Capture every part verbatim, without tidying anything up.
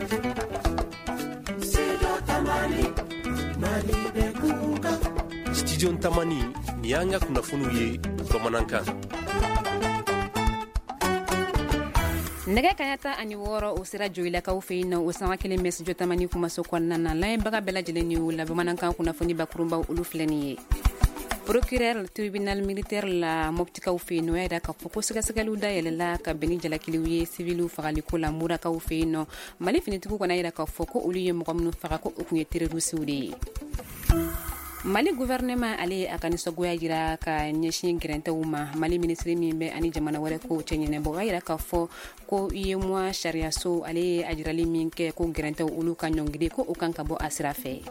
Studio Tamani, nin y'an ka kunnafoniw ye bamanankan. Nɛgɛ kaɲa tan ani wɔɔrɔ o sera Joyilakaw fɛ yen nɔ, o sanga kelen bɛ Studio Tamani kumaso kɔnɔna na. Lamɛnbaga bɛɛ lajɛlen ni o la, bamanankan kunnafoni bakurunbaw olu filɛ nin ye. Procureur tribunal militaire la Moptikaw fɛ yen nɔ, y'a jira k'a fɔ ko sɛgɛsɛgɛliw dayɛlɛla ka bɛn ni jalakiliw ye siviliw fagaliko la Murakaw fɛ yen nɔ. Mali finitigiw kɔni y'a jira k'a fɔ ko olu ye mɔgɔ minnu faga, ko o tun ye terroristew de ye. Mali gouvernement ale ye a ka nisɔngoya jira ka ɲɛsin gɛrɛntɛw ma. Mali minisiri min bɛ ani jamana wɛrɛ kow cɛ ɲɛnabɔ, a yira k'a fɔ ko UEMOA sariyaso ale ye a jirali min kɛ ko gɛrɛntɛw olu ka ɲɔngiri, ko o kan ka bɔ a sira fɛ.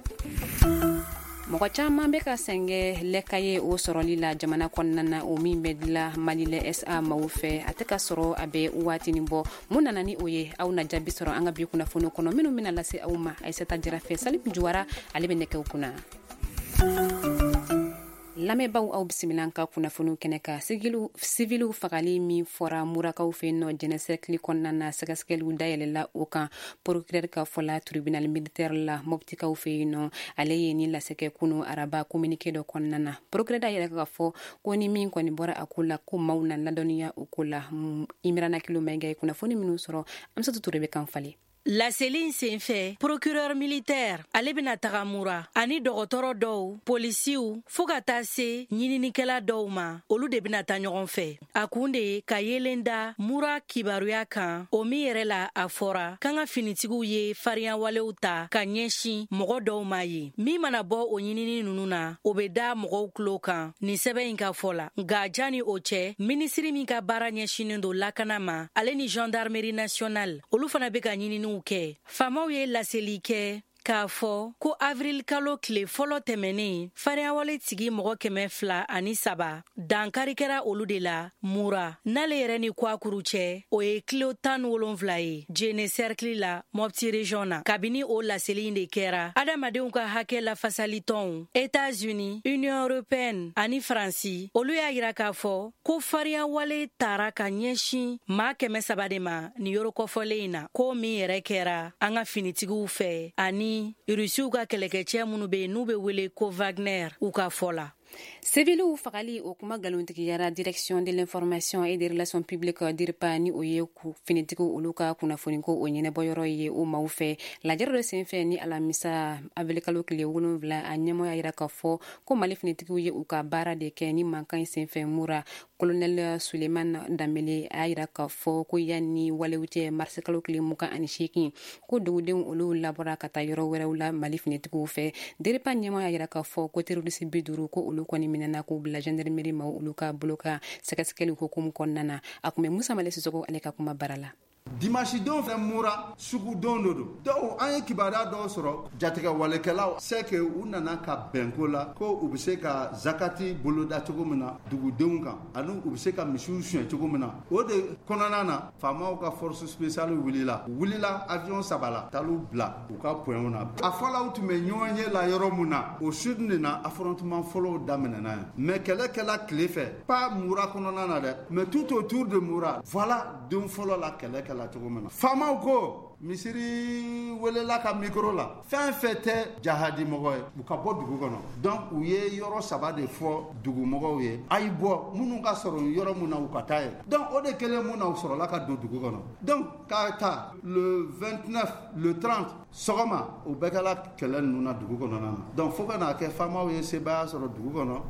Mɔgɔ caman bɛ ka sɛngɛ lɛkaye o sɔrɔli la jamana kɔnɔna na, o min bɛ dila Mali lɛ S A maaw fɛ, a tɛ ka sɔrɔ a bɛ waatinin bɔ. Mun nana ni o ye? Aw na jaabi sɔrɔ an ka bi kunnafoni kɔnɔ minnu bɛna lase aw ma Aïssata Jara fɛ. Salim Juwara ale bɛ nɛgɛw kunna. Lamɛnbaw, aw bisimila an ka kunnafoniw kɛnɛ kan. Siviliw fagali min fɔra Murakaw fɛ yen nɔ Jɛnɛ cercle kɔnɔna na, sɛgɛsɛgɛliw dayɛlɛla o kan. Procureur ka fɔ la, tribunal militaire la Moptikaw fɛ yen nɔ, ale ye nin lase kɛ kunu araba communiqué dɔ kɔnɔna na. Procureur y'a yira k'a fɔ ko ni min kɔni bɔra a ko la, ko maaw na ladɔnniya o ko la. Imrana Kilo Mayiga ye kunnafoni minnu sɔrɔ, Amsatou Touré bɛ kan falen. Laseli in senfɛ, procureur militaire ale bɛna taga Mura ani dɔgɔtɔrɔ dɔw, polisiw, fo ka taa se ɲininikɛla dɔw ma, olu de bɛna taa ɲɔgɔn fɛ. A kun de ye ka yelen da Mura kibaruya kan, o min yɛrɛ la a fɔra k'an ka finitigiw ye farinyawalew ta ka ɲɛsin mɔgɔ dɔw ma yen. Min mana bɔ o ɲinini ninnu na, o bɛ da mɔgɔw tulo kan nin sɛbɛn in ka fɔ la. Nka janni o cɛ, minisiri min ka baara ɲɛsinnen don lakana ma, ale ni gendarmerie nationale, olu fana bɛ ka ɲininiw kɛ. Faamaw ye laseli kɛ k'a fɔ ko avril kalo tile fɔlɔ tɛmɛnen, farinyawale tigi mɔgɔ kɛmɛ fila ani saba dankari kɛra olu de la Mura. N'ale yɛrɛ ni Kwakuru cɛ, o ye kilo tan ni wolonfila ye Jene cercle la Mopti région na. Kabini o laseli in de kɛra, adamadenw ka hakɛ lafasalitɔnw États-Unis, Union européenne ani Faransi, olu y'a yira k'a fɔ ko farinyawale tara ka ɲɛsin maa kɛmɛ saba de ma nin yɔrɔ kɔfɔlen in na, ko min yɛrɛ kɛra an ka finitigiw fɛ ani Rusiw ka kɛlɛkɛcɛ minnu bɛ yen n'u bɛ wele ko Wagner, u ka fɔ la. Siviliw fagali o kuma nkalontigiyara direction de l'information et des relations publiques DIRPA, ni o ye finitigiw olu ka kunnafoniko o ɲɛnabɔyɔrɔ ye o maaw fɛ. Lajɛrɛ dɔ senfɛ ni alamisa avril kalo tile wolonwula, a ɲɛmɔgɔ y'a yira k'a fɔ ko Mali finitigiw ye u ka baara de kɛ ni mankan in senfɛ Mura. Colonel Suleiman Danbele a y'a yira k'a fɔ ko yanni walew cɛ mars kalo tile mugan ani seegin, ko dugudenw olu labɔra ka taa yɔrɔ wɛrɛw la Mali finitigiw fɛ. DIRPA ɲɛmɔgɔ y'a yira k'a fɔ ko terroriste bi duuru, ko olu kɔni minɛna k'u bila gendarmerie maaw olu ka bolo kan sɛgɛsɛgɛli hukumu kɔnɔna na. A kun bɛ Musa Male Sisoko ale ka kuma bara la. Dimanche don fɛ Mura sugu don do don. Dɔw an ye kibaruya dɔw sɔrɔ jatigɛwalekɛlaw c'est que u nana ka bɛnko la ko u bɛ se ka zakati boloda cogo min na dugudenw kan, ani u bɛ se ka misiw suɲɛ cogo min na. O de kɔnɔna na, faamaw ka force spéciale wulila, wulila avion saba la, talu bila u ka points na. A fɔla u tun bɛ ɲɔgɔn ye la yɔrɔ mun na, o sud de na affrontement fɔlɔw daminɛna yen. Mais kɛlɛ kɛla tile fɛ, pas Mura kɔnɔna na dɛ, mais tout autour de Mura. Voilà don fɔlɔ la kɛlɛ kɛla cogo min na. Faamaw ko misiri welela ka micro la, fɛn fɛn tɛ jahadi mɔgɔ ye, u ka bɔ dugu kɔnɔ. Donc u ye yɔrɔ saba de fɔ dugumɔgɔw ye, a y'i bɔ minnu ka sɔrɔ yɔrɔ mun na, u ka taa yen. Donc o de kɛlen mun na, u sɔrɔla ka don dugu kɔnɔ. Donc k'a ta le vingt-neuf, le trente sɔgɔma, o bɛɛ kɛla kɛlɛ ninnu na dugu kɔnɔna na. Donc fo ka n'a kɛ faamaw ye sebaaya sɔrɔ dugu kɔnɔ.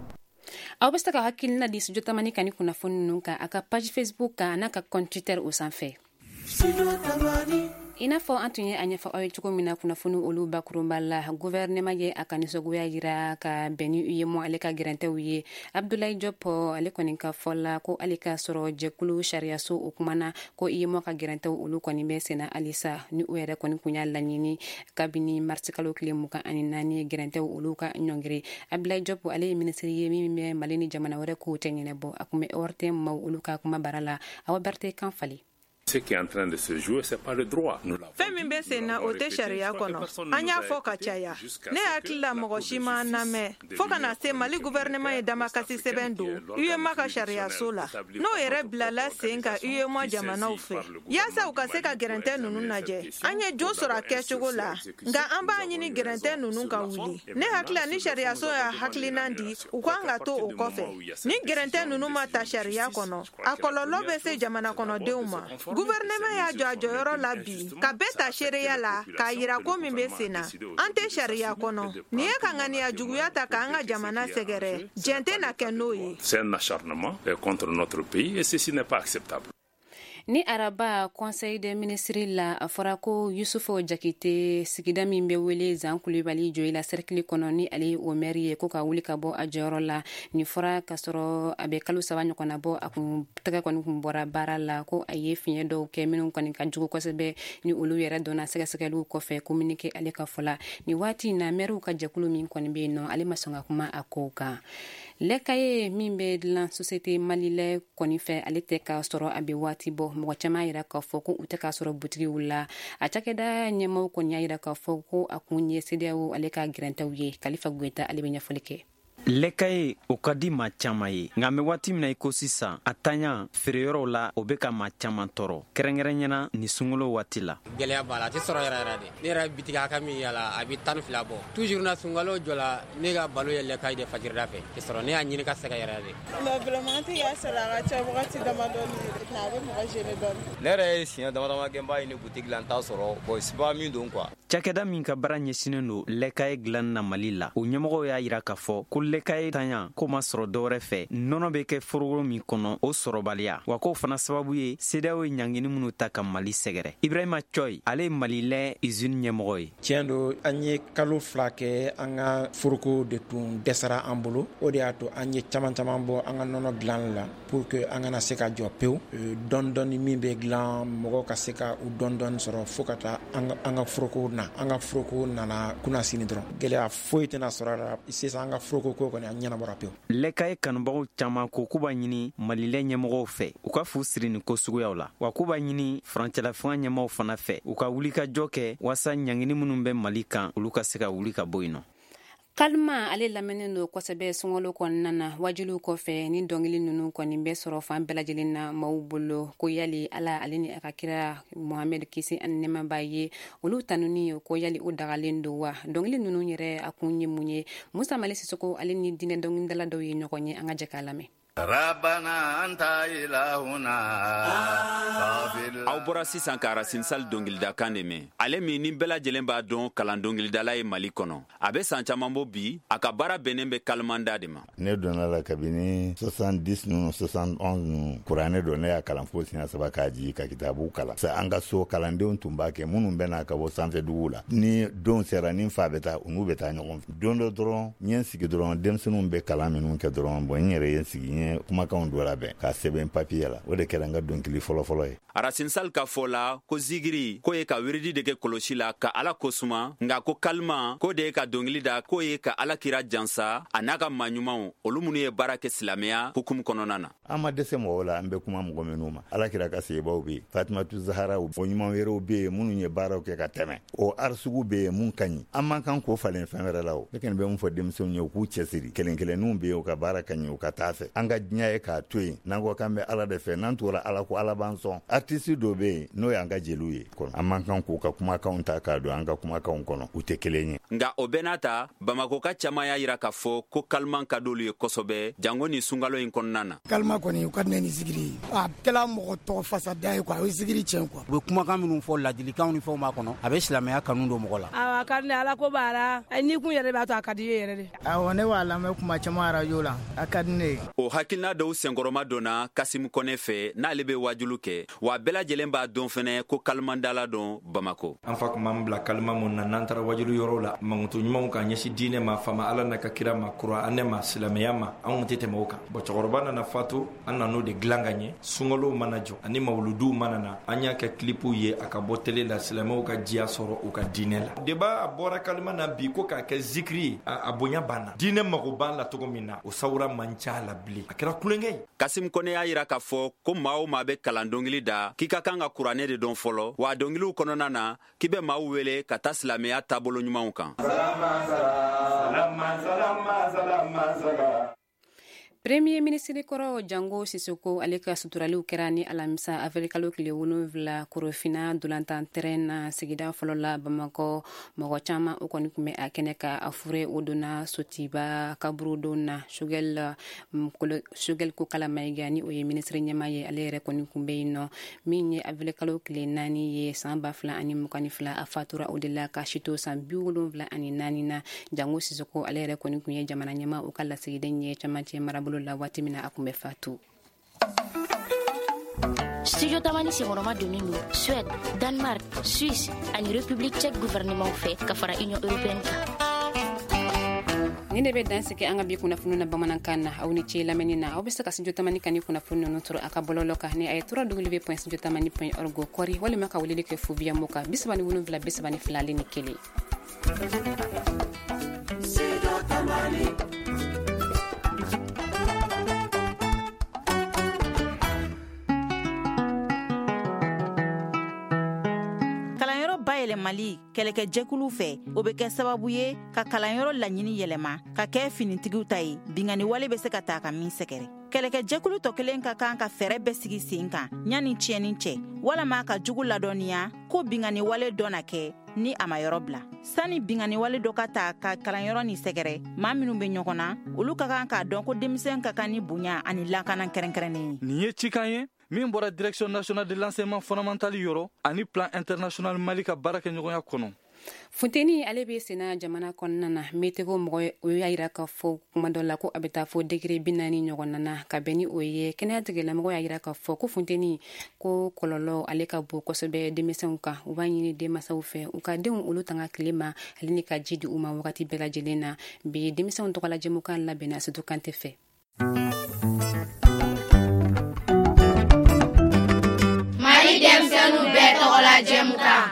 Aw bɛ se ka hakilina di Studio Tamani kan ni kunnafoni ninnu kan a ka page Facebook kan n'a ka compte Twitter o sanfɛ. I n'a fɔ an tun ye a ɲɛfɔ aw ye cogo min na kunnafoni olu bakurunba la, gouvernement ye a ka nisɔngoya yira ka bɛn ni UEMOA ale ka gɛrɛntɛw ye. Abdoulaye Diop ale kɔni ka fɔ la ko ale ka sɔrɔ jɛkulu sariyaso o kumana ko UEMOA ka gɛrɛntɛw olu kɔni bɛ senna halisa, ni u yɛrɛ kɔni kun y'a laɲini kabini mars kalo tile mugan ani naani gɛrɛntɛw olu ka ɲɔngiri. Abdoulaye Diop ale ye minisiri ye min bɛ Mali ni jamana wɛrɛ kow cɛ ɲɛnabɔ. A kun bɛ O R T M maaw olu ka kuma bara la. Awa Berthe kan falen. Fɛn min bɛ sen na, o tɛ sariya kɔnɔ. An y'a fɔ ka caya. Ne hakili la, mɔgɔ si ma lamɛn, fo ka na se Mali gouvernement ye damakasi sɛbɛn don UEMOA ka sariyaso la, n'o yɛrɛ bilala sen kan UEMOA jamanaw fɛ, yaasa u ka se ka gɛrɛntɛ ninnu lajɛ. An ye jo sɔrɔ a kɛcogo la, nka an b'a ɲini gɛrɛntɛ ninnu ka wuli. Ne hakili la, ni sariyaso y'a hakilina di, u kan ka to o kɔfɛ. Ni gɛrɛntɛ ninnu ma ta sariya kɔnɔ, a kɔlɔlɔ bɛ se jamana kɔnɔdenw ma. Gouvernement y'a jɔ a jɔyɔrɔ la bi ka bɛɛ ta seereya la k'a yira ko min bɛ sen na, an tɛ sariya kɔnɔ. Nin ye ka ŋaniya juguya ta k'an ka jamana sɛgɛrɛ. Jɛn tɛ na kɛ n'o ye. C'est un acharnement contre notre pays et ceci n'est pas acceptable. Ni araba Conseil des ministres la, a fɔra ko Yusufu Jakite, sigida min bɛ wele Zan Kulibali, Joyila cercle kɔnɔ, ni ale ye o maire ye, ko ka wuli ka bɔ a jɔyɔrɔ la. Nin fɔra k'a sɔrɔ a bɛ kalo saba ɲɔgɔnna bɔ, a kun tɛgɛ kɔni kun bɔra baara la, ko a ye fiɲɛ dɔw kɛ minnu kɔni ka jugu kosɛbɛ, ni olu yɛrɛ dɔnna sɛgɛsɛgɛliw kɔfɛ, communiqué ale ka fɔ la. Nin waati in na, maires ka jɛkulu min kɔni bɛ yen nɔ, ale ma sɔn ka kuma a kow kan. Lait caillé min bɛ dilan société Malilait kɔni fɛ, ale tɛ k'a sɔrɔ a bɛ waati bɔ. Mɔgɔ caman yira k'a fɔ ko u tɛ k'a sɔrɔ butigiw la. A cakɛda ɲɛmaw kɔni y'a yira k'a fɔ ko a kun ye CEDEAO ale ka gɛrɛntɛw ye. Kalifa Goyita, ale bɛ ɲɛfɔli kɛ. Lait caillé, o ka di maa caman ye, nka an bɛ waati min na i ko sisan, a taɲa feereyɔrɔw la, o bɛ ka maa caman tɔɔrɔ, kɛrɛnkɛrɛnyana ni sunkalo waati la. Gɛlɛya b'a la, a tɛ sɔrɔ yɛrɛ yɛrɛ de. Ne yɛrɛ bitigi a ka min yala, a bɛ tan ni fila bɔ. Toujours na sunkalo jɔ la, ne ka balo ye lait caillé de fajirida fɛ tɛ sɔrɔ. Ne y'a ɲini ka sɛgɛn yɛrɛ de. Mais vraiment, an tɛ k'a sɔrɔ, a ka ca wagati damadɔni, a bɛ mɔgɔ gêner dɔɔni. Ne yɛrɛ ye siɲɛ dama dama kɛ n b'a ɲini butigi la, n t'a sɔrɔ. Bon, siba min don quoi. Cakɛda min ka baara ɲɛsinnen don lait caillé dilanni na Mali la, o ɲɛmɔgɔw y'a yira k'a fɔ ko lait caillé taɲa ko ma sɔrɔ dɔwɛrɛ fɛ, nɔnɔ bɛ kɛ foroko min kɔnɔ, o sɔrɔbaliya, wa k'o fana sababu ye CEDEAO ye ɲangini minnu ta ka Mali sɛgɛrɛ. Ibrahima Cɔyi, ale ye Malilait usine ɲɛmɔgɔ ye. Tiɲɛ don, an ye kalo fila kɛ, an ka foroko de tun dɛsɛra an bolo. O de y'a to an ye caman caman bɔ an ka nɔnɔ dilan la pour que an kana se ka jɔ pewu. Dɔɔni dɔɔni min bɛ dilan, mɔgɔw ka se ka u dɔɔni dɔɔni sɔrɔ fo ka taa an ka foroko na. An ka foroko nana kunna sini dɔrɔn, gɛlɛya foyi tɛna sɔrɔ a la sisan. An ka foroko ko kɔni, a ɲɛnabɔra pewu. Lait caillé kanubagaw caman ko k'u b'a ɲini Malilait ɲɛmɔgɔw fɛ, u ka fu siri nin ko suguyaw la, wa k'u b'a ɲini furancɛlafanga ɲɛmaw fana fɛ, u ka wuli ka jɔ kɛ waasa ɲangini minnu bɛ Mali kan, olu ka se ka wuli ka bɔ yen nɔ. Kalima, ale lamɛnnen don kosɛbɛ sunkalo kɔnɔna na. Wajuliw kɔfɛ, ni dɔnkili ninnu kɔni bɛ sɔrɔ fan bɛɛ lajɛlen na maaw bolo, ko yali Ala ale ni a ka kira Mohamɛd, kisi ani nɛɛma b'a ye, olu tanuni, ko yali o dagalen don wa? Dɔnkili ninnu yɛrɛ, a kun ye mun ye? Musa Mali Sisoko, ale ni diinɛ dɔnkilidala dɔw ye ɲɔgɔn ye. An ka jɛ k'a lamɛn. Rabana anta ilahuna. Aw bɔra sisan ka Racine Sall dɔnkilidakan de mɛn, ale min ni bɛɛ lajɛlen b'a dɔn kalan dɔnkilidala ye Mali kɔnɔ. A bɛ san caman bɔ bi, a ka baara bɛnnen bɛ kalimanda de ma. Ne donna la kabini soixante-dix ninnu, soixante-onze ninnu. Kuranɛ don, ne y'a kalan fo siɲɛ saba k'a jigi ka kitabu kalan. An ka so, kalandenw tun b'a kɛ minnu bɛ na ka bɔ sanfɛ dugu la. Ni don sera, ni fa bɛ taa, u n'u bɛ taa ɲɔgɔn fɛ. Don dɔ dɔrɔn, n ye n sigi dɔrɔn, denmisɛnninw bɛ kalan minnu kɛ dɔrɔn, bon, n yɛrɛ ye n sigi, n ye kumakanw dɔ labɛn k'a sɛbɛn papiye la. O de kɛra n ka dɔnkili fɔlɔfɔlɔ ye. Racine Sall ka fɔ la, ko zigiri k'o ye ka wiridi de kɛ kɔlɔsi la ka Ala kosuma, nka ko kalima k'o de ye ka dɔnkili da, k'o ye ka Ala kira jansa a n'a ka maa ɲumanw, olu minnu ye baara kɛ silamɛya hukumu kɔnɔna na. An ma dɛsɛ mɔgɔw la, an bɛ kuma mɔgɔ minnu ma. Ala kira ka sebaw bɛ yen, Fatimatu Zahara, o ɲuman wɛrɛw bɛ yen minnu ye baaraw kɛ ka tɛmɛ. O arisugu bɛ yen mun ka ɲi, an man kan k'o falen fɛn wɛrɛ la. O ne kɔni bɛ mun fɔ denmisɛnw ye, u k'u cɛsiri. Kelen kelenninw bɛ yen, u ka baara ka ɲi, u ka taa fɛ. An ka diɲɛ ye k'a to yen, n'an ko k'an bɛ Ala de fɛ, n'an tugura Ala ko, Ala b'an sɔn. Artiste dɔ bɛ yen, n'o y'an ka jeliw ye kɔnɔ, an man kan k'u ka kumakanw ta k'a don an ka kumakanw kɔnɔ, u tɛ kelen ye. Nka o bɛɛ n'a ta, Bamakɔ ka caman y'a yira k'a fɔ ko kaliman ka d'olu ye kosɛbɛ, jango ni sunkalo in kɔnɔna na. Kalima kɔni, u ka di ne ni zikiri ye. A kɛla mɔgɔ tɔgɔ fasada ye quoi, o ye zikiri tiɲɛ quoi. U bɛ kumakan minnu fɔ, ladilikanw ni fɛnw b'a kɔnɔ, a bɛ silamɛya kanu don mɔgɔ la. Awɔ, a ka di ne, Ala ko b'a la, n'i kun yɛrɛ b'a to, a ka di ye yɛrɛ de. Awɔ, ne b'a lamɛn kuma caman arajo la, a ka di ne ye. O hakilina dɔw senkɔrɔma donna Kasimu Kɔnɛ fɛ, n'ale bɛ wajulu kɛ, wa bɛɛ lajɛlen b'a dɔn fɛnɛ ko kalimandala dɔn Bamako. An fa kun b'an bila kalima mun na, n'an taara wajulu yɔrɔw la, mankutu ɲumanw ka ɲɛsin diinɛ ma, fama Ala n'a ka kira ma, kuranɛ ma, silamɛya ma, an kun tɛ tɛmɛ o kan. Bon, cɛkɔrɔba nana fatu, an nan'o de dilan ka ɲɛ. Sunkalow mana jɔ ani mawuluduw mana na, an y'a kɛ kilipuw ye, a ka bɔ télé la, silamɛw ka diya sɔrɔ u ka diinɛ la. Débat a bɔra kalima na bi ko k'a kɛ zikiri ye, a bonya banna. Diinɛ mago b'a la cogo min na, o sawura man ca la bilen. A kɛra kulonkɛ ye. Kasim Kone y'a yira k'a fɔ ko maa o maa bɛ kalan dɔnkili da, k'i ka kan ka kuranɛ de dɔn fɔlɔ, wa dɔnkiliw kɔnɔna na k'i bɛ maaw wele ka taa silamɛya taabolo ɲumanw kan. Premier ministre kɔrɔ Jango Sisoko, ale ka suturaliw kɛra ni alamisa avril kalo tile wolonwula Korofina dolantan terrain na sigida fɔlɔ la Bamakɔ. Mɔgɔ caman o kɔni tun bɛ a kɛnɛ ka a fure o donna Sotiba kaburudon na. Choguel Choguel Kokala Maïga, ni o ye ministre ɲɛmaa ye, ale yɛrɛ kɔni tun bɛ yen nɔ. Min ye avril kalo tile naani ye san ba fila ani mugan ni fila, a fatura o de la ka si to san bi wolonwula ani naani na. Jango Sisoko ale yɛrɛ kɔni tun ye jamana ɲɛmaa o ka lasigiden ye camancɛ marabolo la waati min na a tun bɛ fatu. Studio Tamani senkɔrɔma donnen don Suède, Danemark, Suisse ani République tchèque gouvernement fɛ ka fara Union européenne kan. Ni de bɛ dan sigi an ka bi kunnafoni na bamanankan na. Aw ni ce lamɛnni na. Aw bɛ se ka Studio Tamani kan ni kunnafoni ninnu sɔrɔ a ka bɔlɔlɔ kan ni a ye w w w point studio tamani point org kɔri, walima ka weleli kɛ fu biya mɔ kan bi saba ni wolonwula bi saba ni fila ale ni kelen. Studio Tamani. Yɛlɛmali kɛlɛkɛjɛkulu fɛ, o bɛ kɛ sababu ye ka kalanyɔrɔ laɲini yɛlɛma ka kɛ finitigiw ta ye, binkanni wale bɛ se ka taa ka min sɛgɛrɛ. Kɛlɛkɛjɛkulu tɔ kelen ka kan ka fɛɛrɛ bɛɛ sigi sen kan yanni tiɲɛni cɛ, walama ka jugu ladɔnniya ko binkanni wale dɔ na kɛ ni a ma yɔrɔ bila. Sani binkanni wale dɔ ka ta ka kalanyɔrɔ ni sɛgɛrɛ, maa minnu bɛ ɲɔgɔn na, olu ka kan k'a dɔn ko denmisɛn ka kan ni bonya ani lakana kɛrɛnkɛrɛnnen ye. Nin ye cikan ye min bɔra Direction nationale de l'enseignement fondamental yɔrɔ ani Plan international Mali ka baara kɛ ɲɔgɔnya kɔnɔ. Funteni ale bɛ senna jamana kɔnɔna na. Meteo mɔgɔ o y'a yira k'a fɔ kuma dɔ la ko a bɛ taa fo degré bi naani ɲɔgɔn na. Ka bɛn ni o ye, kɛnɛya tigilamɔgɔ y'a yira k'a fɔ ko funteni ko kɔlɔlɔ ale ka bon kosɛbɛ denmisɛnw kan. U b'a ɲini denmansaw fɛ u ka denw olu tanga tile ma ale ni ka ji di u ma wagati bɛɛ lajɛlen na. Bi denmisɛnw tɔgɔla jɛmukan labɛnna Sedu Kante fɛ. Denmisɛnninw bɛɛ tɔgɔla jɛmukan.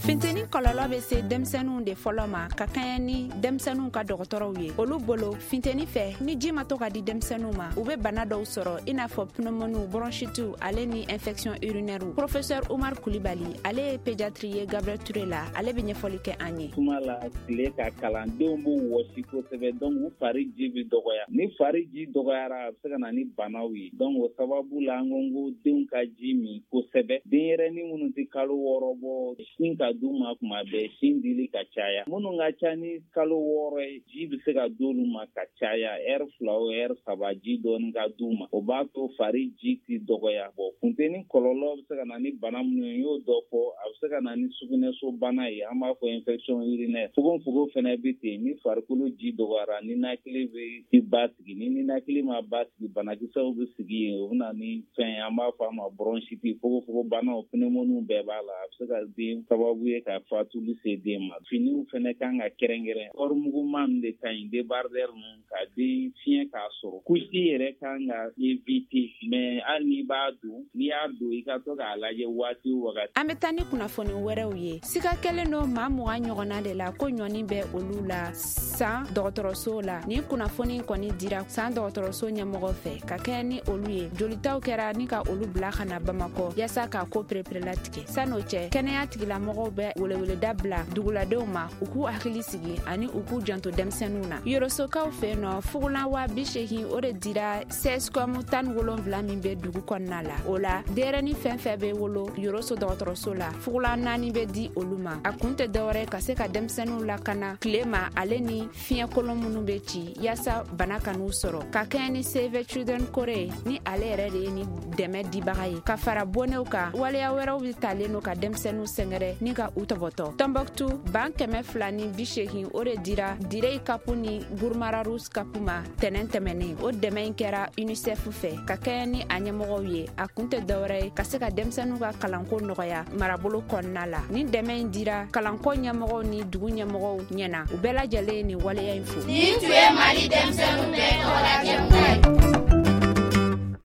Funteni kɔlɔlɔ bɛ se denmisɛnninw de fɔlɔ ma ka kɛɲɛ ni denmisɛnninw ka dɔgɔtɔrɔw ye. Olu bolo, funteni fɛ, ni ji ma to ka di denmisɛnninw ma, u bɛ bana dɔw sɔrɔ i n'a fɔ pneumoniw, bronchitew ale ni infection urinaire. Professeur Umar Kulibali, ale ye pédiatre ye Gabriel Touré la, ale bɛ ɲɛfɔli kɛ an ye. Kuma la tile ka kalandenw b'u wɔsi kosɛbɛ, donc u fari ji bɛ dɔgɔya. Ni fari ji dɔgɔyara, a bɛ se ka na ni banaw ye. Donc o sababu la, an ko ko denw ka ji min kosɛbɛ. Denyɛrɛnin minnu tɛ kalo wɔɔrɔ bɔ, sin ka d'u ma kuma bɛɛ, sin dili ka caya. Minnu ka ca ni kalo wɔɔrɔ ye, ji bɛ se ka d'olu ma ka caya, ɛri fila o ɛri saba ji dɔɔni ka d'u ma. O b'a to fari ji tɛ dɔgɔya. Bɔn, funteni kɔlɔlɔ bɛ se ka na ni bana minnu ye, n y'o dɔ fɔ. A bɛ se ka na ni sugunɛso bana ye, an b'a fɔ infection urinaire. Fogofogo fana bɛ ten, ni farikolo ji dɔgɔyara, ninakili bɛ basigi. Ni ninakili ma basigi, banakisɛw bɛ sigi yen, o bɛ na ni fɛn ye, an b'a fɔ a ma bronchite. Fogofogo banaw, pneumoniw bɛɛ b'a la. A bɛ se ka den sababu ye ka fatuli se den ma. Finiw fɛnɛ kan ka kɛrɛnkɛrɛn. Kɔrimuguma ninnu de ka ɲi, débardeur ninnu, ka den fiɲɛ k'a sɔrɔ. Couche yɛrɛ kan ka éviter, mais hali n'i b'a don, n'i y'a don, i ka to k'a lajɛ waati o wagati. An bɛ taa ni kunnafoni wɛrɛw ye. Siga kɛlen don maa mugan ɲɔgɔnna de la ko ɲɔni bɛ olu la san dɔgɔtɔrɔso la. Nin kunnafoni kɔni dira san dɔgɔtɔrɔso ɲɛmɔgɔ fɛ ka kɛɲɛ ni olu ye. Jolitaw kɛra ni ka olu bila ka na Bamakɔ yaasa k'a ko pereperelatigɛ. San'o cɛ, kɛnɛya tigilamɔgɔw bɛ weleweleda bila duguladenw ma u k'u hakili sigi ani u k'u janto denmisɛnninw na. Yorosokaw fɛ nɔ, fugulan wa bi seegin o de dira C S C O M tan ni wolonwula min bɛ dugu kɔnɔna la. O la, denyɛrɛnin fɛn fɛn bɛ wolo Yoroso dɔgɔtɔrɔso la, fugulan naani bɛ di olu ma. A kun tɛ dɔwɛrɛ ka se ka denmisɛnninw lakana tile ma ale ni fiɲɛ kolon minnu bɛ ci yaasa bana kan'u sɔrɔ. Ka kɛɲɛ ni Save Children Kore ni ale yɛrɛ de ye ni dɛmɛ dibaga ye ka fara bonnew kan, waleya wɛrɛw bɛ talen don ka denmisɛnninw sɛgɛrɛ ni ka u tɔbɔtɔ. Tɔnbɔkutu, ban kɛmɛ fila ni bi seegin o de dira Direy Kapu ni Gurmararus Kapu ma tɛnɛn tɛmɛnen. O dɛmɛ in kɛra UNICEF fɛ ka kɛɲɛ ni a ɲɛmɔgɔw ye. A kun tɛ dɔwɛrɛ ye ka se ka denmisɛnninw ka kalanko nɔgɔya marabolo kɔnɔna la. Ni dɛmɛ in dira kalanko ɲɛmɔgɔw ni dugu ɲɛmɔgɔw ɲɛna, u bɛɛ lajɛlen ye nin waleya in fo. Nin tun ye Mali denmisɛnninw bɛɛ tɔgɔla jɛmukan ye.